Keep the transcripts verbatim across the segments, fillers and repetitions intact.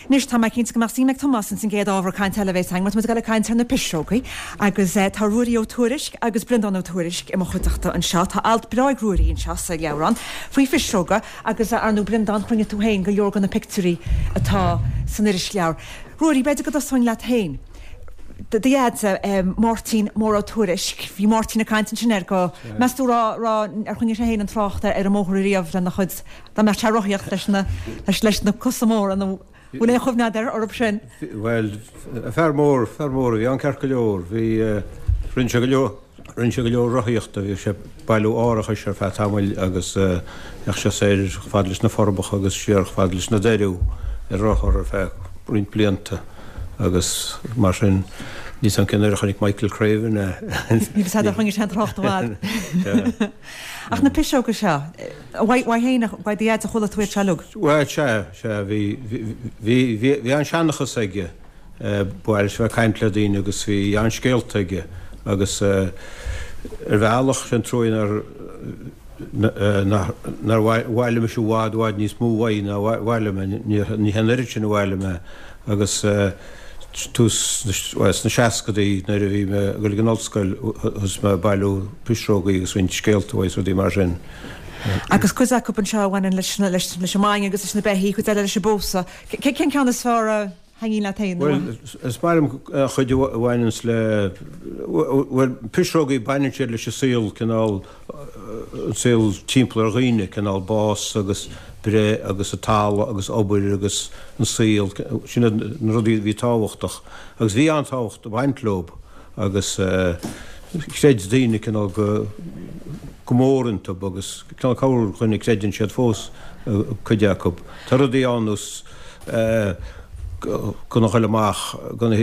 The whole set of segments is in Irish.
Anois tá mé cinnte go mbeadh suim ag Tomás ins an gcéad ábhar cainte eile a bheas againn, mar tá muid ag dul ag caint ar na pisreogaí agus tá Ruairí Ó Tuairisg agus Breandán Ó Tuairisg i mo chuideachta anseo. Tá alt breá ag Ruairí anseo sa leabhrán faoi phisreoga agus ar ndóigh Breandán chruinnigh tú féin go leor de na pictiúirí atá san irisleabhar. Ruairí, b'fhéidir go dtosóinn leat féin. Do dhaid, Máirtín Mór Ó Tuairisg, bhí Máirtín ag caint ansin air go, meas tú raibh, raibh, ar choinnigh sé féin an trácht ar an mbóthar ariamh lena chuid, dá mbeadh sé ag rothaíocht leis na, leis, leis na cosa móra nó bhfuil aon chuimhne agat air orthu sin? Bhuel, fear mór, fear mór a bhí ann ceart go leor. Bhí, rinne sé go leor, rinne sé go leor rothaíochta, bhí sé ag bailiú árachais ar feadh tamaill agus bheadh sé soir chomh fada leis na Forbacha agus siar chomh fada leis na Doiriú ar rothar ar feadh roinnt blianta agus mar sin níl 's a'm cén uair a chonaic Michael Craven é. Níl 's a'd ar choinnigh sé an trácht i bhfad. Ach na piseoga seo, uaidh féin, uaidh do dhaid a chuala tú iad seo uilig? Bhuel, sea, sea, bhí, bhí, bhí, bhí an-seanchas aige, ba mhaith leis a bheith ag caint le daoine agus bhí an-scéalta aige agus ar bhealach, sé an truaí nár, nár bhailigh mise i bhfad, i bhfad níos mó uaidh ná a bhailigh mé, ní hé an oiread sin a bhailigh mé agus tús sna seascadaí nuair a bhí mé ag dul ag an ollscoil thosaigh mé ag bailiú pisreogaí agus roinnt scéalta uaidh is rudaí mar sin. Agus cuid acu anseo a bhaineann leis an mbainne agus leis na beithígh, cuid eile leis an bpósadh. Cén ceann is fearr a thaitníonn leat féin? Bhuel, is maith liom an chuid a bhaineanns le, bhuel, pisreogaí, baineann siad leis an saol, cineál, an saol timpeall ar dhaoine, cineál bás agus breith agus an talamh agus obair agus an saol, sin iad na rudaí a bhí tábhachtach agus bhí an-tábhacht ag baint leob agus chreid daoine cineál go, go mór iontu agus cineál corrdhuine creideann siad fós cuid acu. Tá rudaí ann nós gan a ghoil amach, gan a,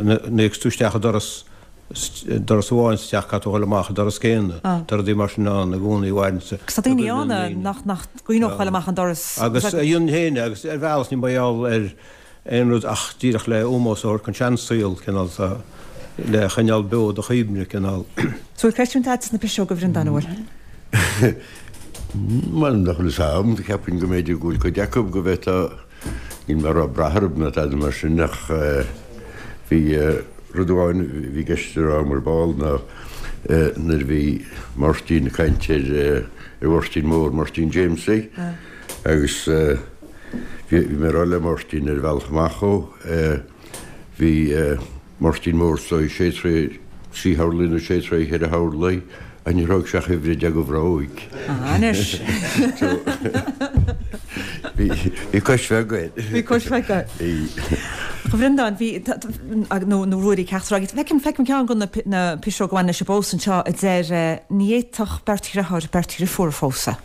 nuair a thiocfas tú isteach i doras, doras amháin sa teach caithfidh tú a ghoil amach an doras céanna. Tá rudaí mar sin ann i gcónaí a mhaireann Agus tá daoine ann nach, nach gcuimhneodh a ghoil amach an doras. Agus a dhéanann féin é agus ar bhealach ní mar gheall ar aon rud ach díreach le ómós a thabhairt don seansaol, cineál, le choinneáil beo do chuimhne, cineál. So bhfuil creidiúint agat sna piseoga a Bhreandáin, an bhfuil? Bhuel, nach bhfuil fhios a'm, cheapfainn go mb'fhéidir go bhfuil cuid acu go bhféadfá, níl mé ag rá brath orthu ná tada mar sin ach bhí rud amháin a bhí i gceist a rá agam ar ball ná nuair a bhí Máirtín ag caint ar ar Mháirtín Mór, Máirtín Jamesie agus bhí mé ag rá le Máirtín ar an bhealach amach ó, bhí Máirtín Mór is dóigh sé troigh trí horlaí nó sé troigh cheithre horlaí ach níor thóg sé ach uimhir a deich de bhróig. Anois. Bhí cois bheag air. Bhí cois bheag air. Bhí. A Bhreandáin, bhí, nó nó Ruairí ceachtar agaibh, feicim, feicim ceann de na piseoga a bhain leis an bpósadh anseo a deir ní fhéadfadh beirt dhriotháir beirt dhriofúr a phósadh.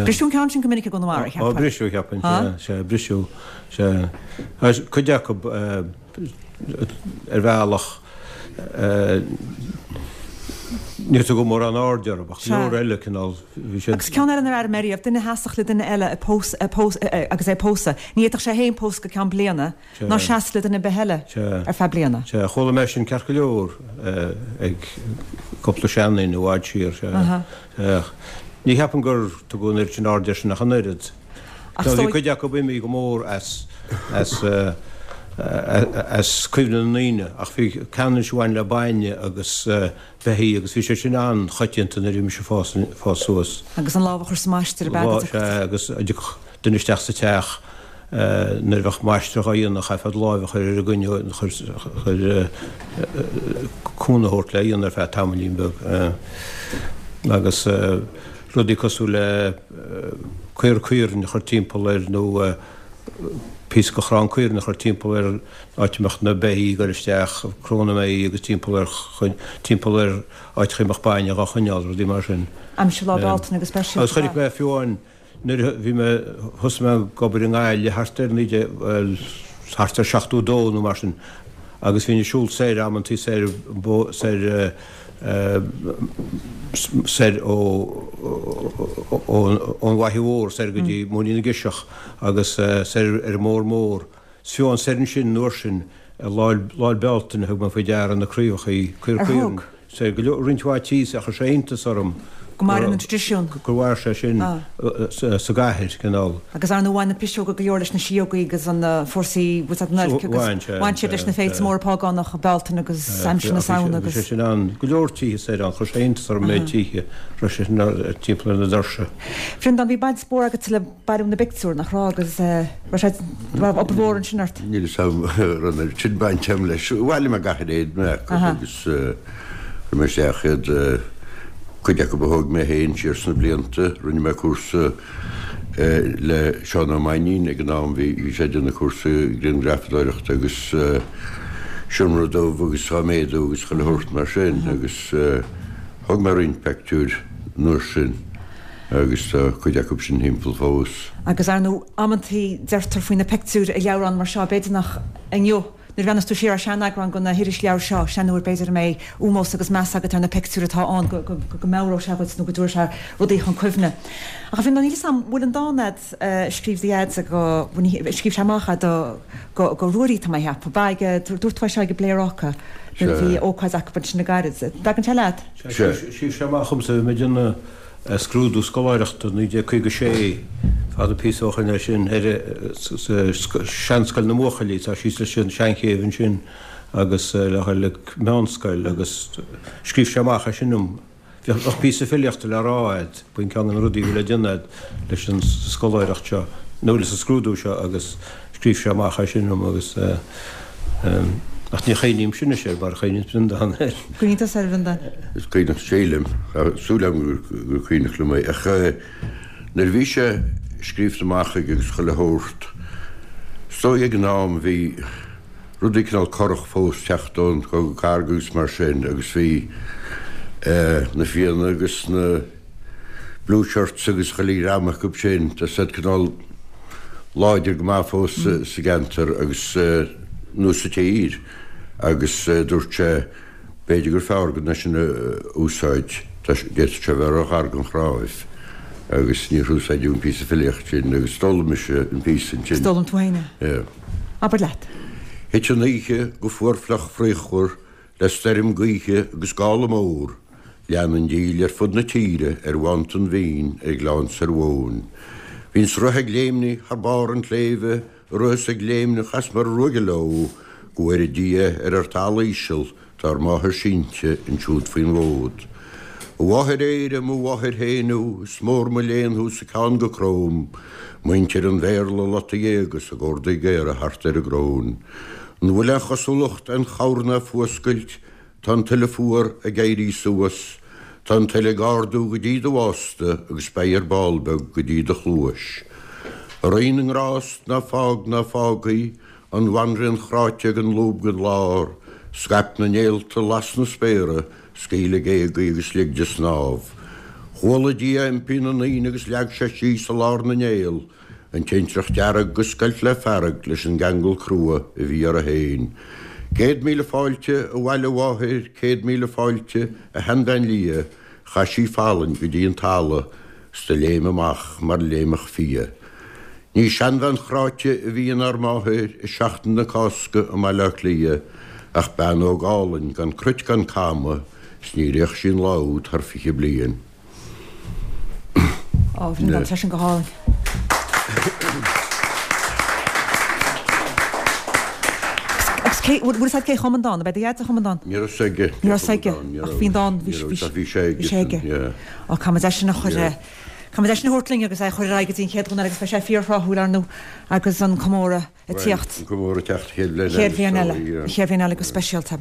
Briseadh an ceann sin go minic i gConamara, cheapfainn. Ó, briseadh, cheapfainn, sea, sea, briseadh, sea. Cuid acu, ar bhealach, níor tugadh mórán airde orthu, ach go leor eile, cineál, bhí siad. Agus ceann eile nár airigh mé riamh, duine a sheasfadh le duine eile a agus é a pósadh, ní fhéadfadh sé féin pósadh go ceann bliana, ná seasamh le duine ar bith eile ar feadh bliana. Sea, chuala mé sin ceart go leor ag cúpla seanduine i bhfad siar, sea. Ní cheapaim gur tugadh an oiread sin airde air sin ach an oiread. Ach is Bhí dóigh. cuid acu imithe go mór as as as cuimhne na ndaoine ach bhí ceann anois a bhain le bainne agus beithígh agus bhí sé sin an-choitianta nuair a bhí mise ag fás fás suas. Agus an lámh a chur sa maistir ab ea? Sea, agus a dtiocfadh duine isteach sa teach nuair a bheadh maistreadh á dhéanamh chaithfeá do láimh a chur ar an gcoinne chur chur cúnamh a thabhairt le a dhéanamh ar feadh tamaillín beag agus rudaí cosúil le caora caoirne a chur timpeall air nó píosa de chrann caoirne a chur timpeall ar an áit a mbeadh na beithígh ag dul isteach, cró na mbeithígh agus timpeall ar timpeall ar áiteacha a mbeadh bainne dhá choinneáil, rudaí mar sin. Aimsir Lá Bealtaine go speisialta. Agus chonaic mé fiú amháin nuair a bhí mé, thosaigh mé ag obair i nGaillimh thart ar naoi déag, bhuel, thart ar seachtó dó nó mar sin agus bhínn ag siúl soir amantaí soir, soir, soir ón bhFaiche Mhór soir go dtí Móinín na gCiseach agus soir ar an mBóthar Mór. Is fiú amháin soir ansin an uair sin Lá 'le Bealtaine thug mé faoi deara na craobhachaí, caora Ar caoirne, thug? soir go leor, roinnt mhaith tíos ach chuir sé iontas orm Go maireann an traidisiún. Gur mhair sé sin sa gcathair, cineál. Agus ar ndóigh bhain na piseoga go leor leis na síógaí agus an fórsaí was that an oilc agus bhain siad leis na féilte móra págánacha, Bealtaine agus aimsir na Samhna agus. Bhí sé sin ann, go leor tithe soir ann, chuir sé iontas orm an méid tithe a raibh sé sin timpeall ar na doirse. Bhreandán, bhí baint mhór agat le bailiú na bpictiúr, nach raibh, agus raibh sé, raibh obair mhór ansin ort? Níl fhios agam an raibh sin baint agam leis. Bhailigh mé gach oiread mé acu agus chuir mé isteach iad. Cuid acu a thóg mé féin siar sna blianta. Rinne mé cúrsa le Seán Ó Mainnín ag an am, bhí sé ag déanamh cúrsa grianghrafadóireachta agus seomra dubh agus á méadú agus chuile shórt mar sin agus thóg mé roinnt peictiúir an uair sin agus tá cuid acu sin thimpeall fós. Agus ar ndóigh, amantaí deirtear faoi na pictiúir i leabhrán mar seo, b'fhéidir nach inniu, Nuair a bhreathnas tú siar ar seaneagrán de na hirisleabhair seo, sin an uair b'fhéidir a mbeidh ómós agus meas agat ar na pictiúir atá ann, go meabhróidh sé dhuit nó go dtabharfaidh sé rudaí chun cuimhne. Ach a Bhreandáin, níl 'fhios a'm, bhfuil an dán a'd a scríobh do Dhaid go, scríobh sé amach é do, go Ruairí tá mé a cheapadh, ba ag, dúirt tú é seo ag an bPléaráca nuair a bhí ócáid acu ansin le gairid. Dtagann sé leat? Sea, scríobh sé amach dhomsa, bhí mé ag déanamh scrúdú scoláireachta naoi déag caoga sé, fada píosa ó shoin é sin, ar seanscoil na mbuachaillí, tá síos leis an Seanchéibh ansin agus le haghaidh meánscoil agus scríobh sé amach é sin dom. Bheadh píosa filíochta le rá a'd, b'in ceann de na rudaí a bhí le déanamh a'd leis an scoláireacht seo, nó leis an scrúdú seo agus scríobh sé amach é sin dom agus ach ní chuimhnímse anois air mar a chuimhníonn Breandán air. Cuimhníonn tusa air, a Bhreandáin? Is cuimhneach, sílim, tá súil agam gur cuimhneach liom é ach nuair a bhí sé scríobhta amach aige agus chuile shórt, is dóigh ag an am bhí rudaí cineál corrach fós teacht ón Chogadh Cathartha agus mar sin agus bhí na Fianna agus na Blue Shirts agus chuile dhream acu sin, tá siad cineál láidir go maith fós sa gceantar agus nó sa tír agus dúirt sé b'fhéidir gur fearr gan é sin a úsáid, d'fhéadfadh sé a bheith ró-ghar don chnáimh agus níor úsáideadh an píosa filíochta sin agus d'fhoghlaim mise an píosa ansin. D'fhoghlaim tú féin é? Yeah. Abair leat. Thit an oíche go fuar fliuch fraochmhar le stoirm gaoithe agus gála mór, Lean an díle ar fud na tíre ar mhántain mhín ar ghleann soir Mhóin. Bhí an sruth ag léimnigh thar barr an tsléibhe, ag rith is ag léimneach as mar a ruaigeadh leo, Go bhfóire Dia ar ár talamh íseal, tá ár máthair sínte ansiúd faoin bhfód. A mháthair Éire, mo mháthair féin thú, is mór mo léan thú 's a ceann go crom, Muintir an Bhéarla lot a ghéaga 's a gcordaí géara thart ar a gcróin. An bhfuil aon chosúlacht, aon chabhair ná fuascailt, Tá an tuile fuar ag éirí suas, tá an tuile ag ardú go dtí do bhásta agus beidh ar ball beag go dtí do chluais. A Rí na nGrást, ná fág, ná fág í, an bhanríon chráite gan lúb gan lár, scaip na néalta, las na spéartha, scaoil a géaga í agus lig di snámh. Chuala Dia impí na ndaoine agus leag sé síos i lár na néal An tintreach dearg a scoilt le fearg leis an gceangal crua a bhí uirthi féin. Céad míle fáilte abhaile a mháthair, céad míle fáilte a sheanbhean liath, chaith sí fallaing go dtí an talamh 's do léim amach mar léimfeadh fia. Ní seanbhean chráite a bhí inár máthair i Seachtain na Cásca i mBaile Átha Cliath ach bean óg álainn gan cruit gan camadh 's níor fhéach sí an lá úd thar fiche bliain. Ó, bhí an sin go hálainn. Agus cé, bhfuil fhios agat cé chum an dán? Ab é do dhaid a chum an dán? Ní raibh fhios aige. Ní raibh fhios aige, ach bhí an dán, bhí sé aige. Bhí sé aige. Ó, caithfimid é sin a chur, caithfimid é sin a thabhairt linn agus é a chur ar aghaidh go dtí an chéad dhuine eile agus beidh sé fíorthráthúil ar ndóigh agus an comóradh ag tíocht. An comóradh ag teacht an chéad bhliain eile. Chéad bhliain eile, an chéad bhliain eile go speisialta.